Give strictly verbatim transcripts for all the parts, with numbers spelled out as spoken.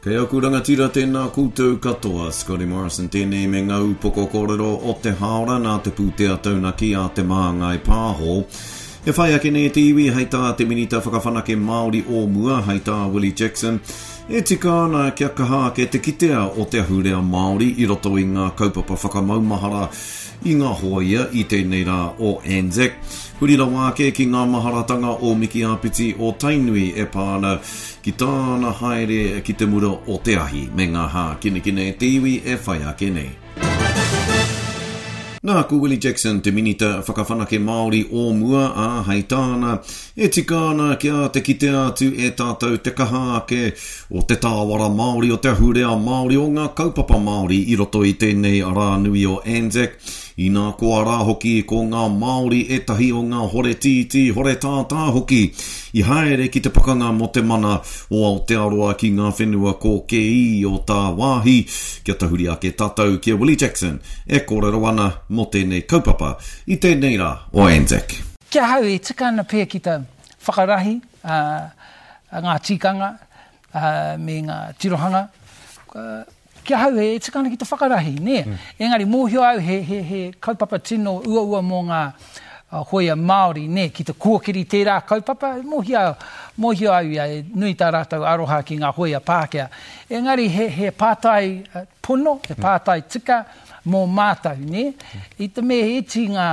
Kei aku rangatira tēnā koutou katoa, Scotty Morrison tēnei me ngā upoko kōrero o te hāora nā te pūtea taunaki a Te Māngai Pāho. E whai ake nei te iwi hei tā te Minita Whakawhanake Māori o mua, hei tā Willie Jackson, e tika ana kia kaha ake te kitea o te ahurea Māori i roto i ngā kaupapa whakamaumahara i ngā hōia i tēnei rā o Anzac. Huri rawa ake ki ngā maharatanga o Miki Āpiti o Tainui e pā ana ki tāna haere ki te mura o te ahi me ngā hākinakina e te iwi e whai ake nei. Nā, ko Willie Jackson te Minita Whakawhanake Māori o mua, ā, hei tāna, e tika ana kia te kitea atu e tātou te kaha ake o te tāwara Māori, o te ahurea Māori, o ngā kaupapa Māori i roto i tēnei rā nui o Anzac. Inā koa rā hoki ko ngā Māori ētahi o ngā hore tītī, hore tātā hoki i haere ki te pakanga mō te mana o Aotearoa ki ngā whenua kōkēī o tāwāhi. Kia tahuri ake tātou ki a Willie Jackson e kōrero ana mō tēnei kaupapa i tēnei rā o Anzac. Ki ahau e tika ana pea ki te whakarahi ngā tikanga me ngā tirohanga. Ki ahau e tika ana ki te whakarahi, nē. Mm. Engari mōhio au he, he, he kaupapa tino uaua mō ngā hōia Māori, nē, ki te kōkiri tērā kaupapa, mōhio, mōhio au ia, e nui tā rātou aroha ki ngā hōia Pākehā. Engari he, he pātai pono, he pātai tika mō mātou, nē. I te mea he iti ngā,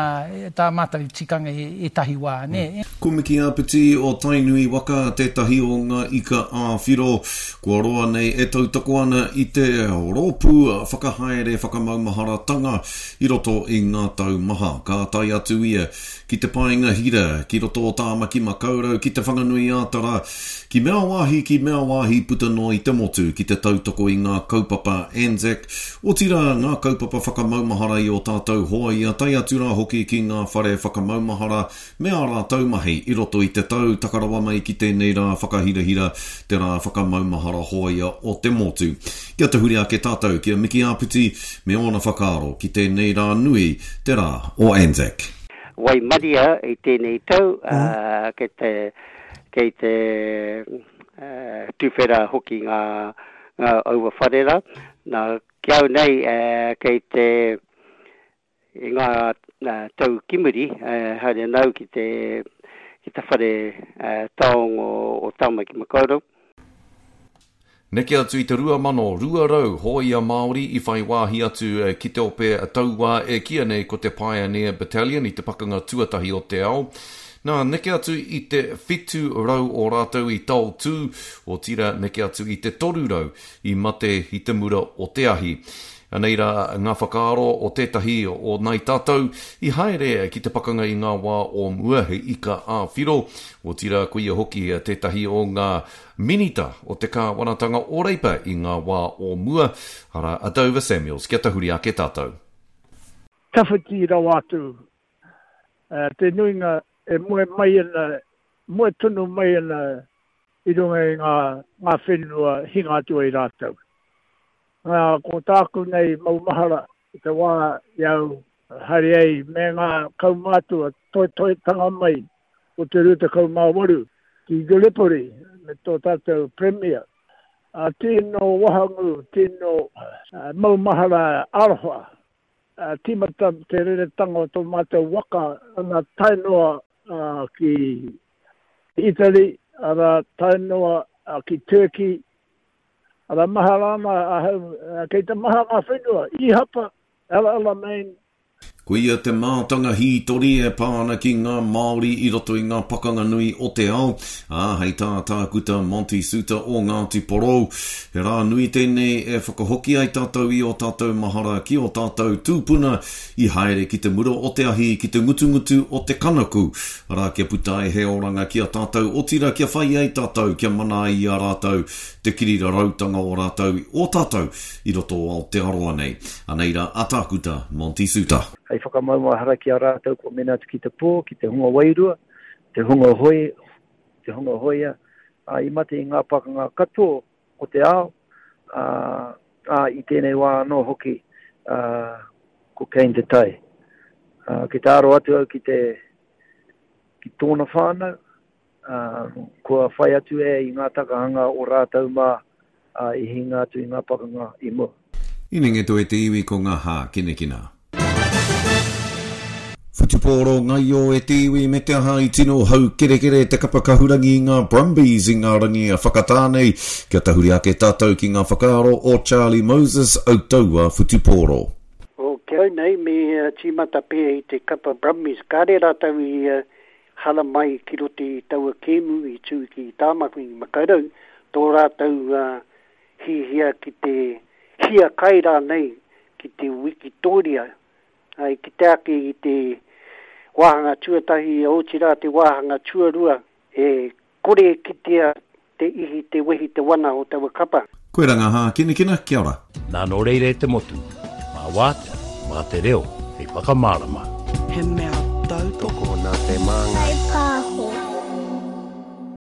tā mātou tikanga i ētahi wā, nē. Ko Miki Āpiti o Tainui waka tētahi o ngā ika ā-whiro kua roa nei e tautoko ana i te rōpū whakahaere whakamaumaharatanga i roto i ngā tau maha. Ka tae atu ia ki te Paenga Hira, ki roto o Tāmaki Makaurau, ki Te Whanganui-ā-Tara, ki mea wāhi, ki mea wāhi puta noa i te motu, ki te tautoko i ngā kaupapa Anzac, otirā ngā kaupapa whakamaumahara i ō tātou hōia, tae atu rā hoki ki ngā whare whakamaumahara me ā rātou mahi i roto i te tau taka rawa mai ki tēnei rā whakahirahira, te rā whakamaumahara hōia o te motu. Kia tahuri ake tātou ki a Miki Āpiti me ōna whakaaro ki tēnei rā nui, te rā o Anzac. Waimaria i tēnei tau, mm. kei te, kei te uh, tuwhera hoki ngā, ngā aua whare rā. Nā, ki au nei, uh, kei te i ngā uh, tau ki muri, uh, haere nau ki te, ki te whare uh, taonga o, o Tāmaki Makaurau. Neke atu i te rua mano rua rau hōia Māori i whai wāhi atu ki te ope tauā e kīia nei ko te Pioneer Battalion i te pakanga tuatahi o te ao. Nā, neke atu i te whitu rau o rātou i taotū, otirā neke atu i te toru rau i mate i te mura o te ahi. Anei rā ngā whakaaro o tētahi o nai tātou i haere ki te pakanga i ngā wā o mua he ika ā-whiro, otirā ko ia hoki tētahi o ngā minita o te kāwanatanga o Reipa i ngā wā o mua, arā a Dover Samuels. Kia tahuri ake tātou. Tawhiti rawa atu, te nuinga e moe mai ana, moe tonu mai ana i runga i ngā, ngā whenua hinga atu ai rātou. Ngā, ko tāku nei maumahara i te wā i au haere ai me ngā kaumātua toetoetanga mai o te rua tekau mā waru ki Gallipoli me tō tātou Premier. A, tino wahangū, tino maumahara aroha. A, tīmata te reretanga o tō mātou waka ana tae noa ki Italy, ara tae noa ki Turkey, ara mahara ana ahau, kei te maha ngā whenua, Ihapa, El Alamein. Ko ia te mātanga hītori e pā ana ki ngā Māori i roto i ngā pakanga nui o te ao, ā, hei tā Tākuta Monty Soutar o Ngāti Porou, he rā nui tēnei e whakahoki ai tātou i ō tātou mahara ki ō tātou tūpuna i haere ki te mura o te ahi, ki te ngutungutu o te kanaku, arā kia puta ai he oranga ki a tātou, otirā kia whai ai tātou, kia mana ai i a rātou te kirirarautanga o rātou, o tātou i roto o Aotearoa nei. Anei rā a Tākuta Monty Soutar. Hei whakamaumahara ki a rātou kua mena atu ki te pō, ki te hunga wairua, te hunga hoi, te hunga hoia, ā, i mate i ngā pakanga katoa o te ao, ā, ā, i tēnei wā anō hoki, ā, ko Kane Te Tai. Ā, ki te aro atu au ki te, ki tōna whānau, ā, kua whai atu e i ngā takahanga o rātou mā, ā, i hinga atu i ngā pakanga i mua. Inenge toe te iwi ko ngā hākinakina. Whutupōro ngaio e te iwi me te aha i tino haukerekere te kapa kahurangi i ngā Brumbies i ngā rangi a whakatā nei. Kia tahuri ake tātou ki ngā whakaaro o Charlie Moses, Autaua Whutupōro. O ki au nei me tīmata pea i te kapa Brumbies, kāre rātou i hala mai ki roto i taua kēmu i tū ki Tāmaki Makaurau, tō rātou hihia ki te hiakai rānei ki te wikitōria. I kite ake i te wāhanga tuatahi, otirā te wāhanga tuarua, e kore e kitea te ihi, te wehi, te wana o taua kapa. Koe rā ngā hākinakina, kia ora. Nā nō reira e te motu, mā wātea, mā te reo hei whakamārama. He mea tautoko. Tokona te māngai.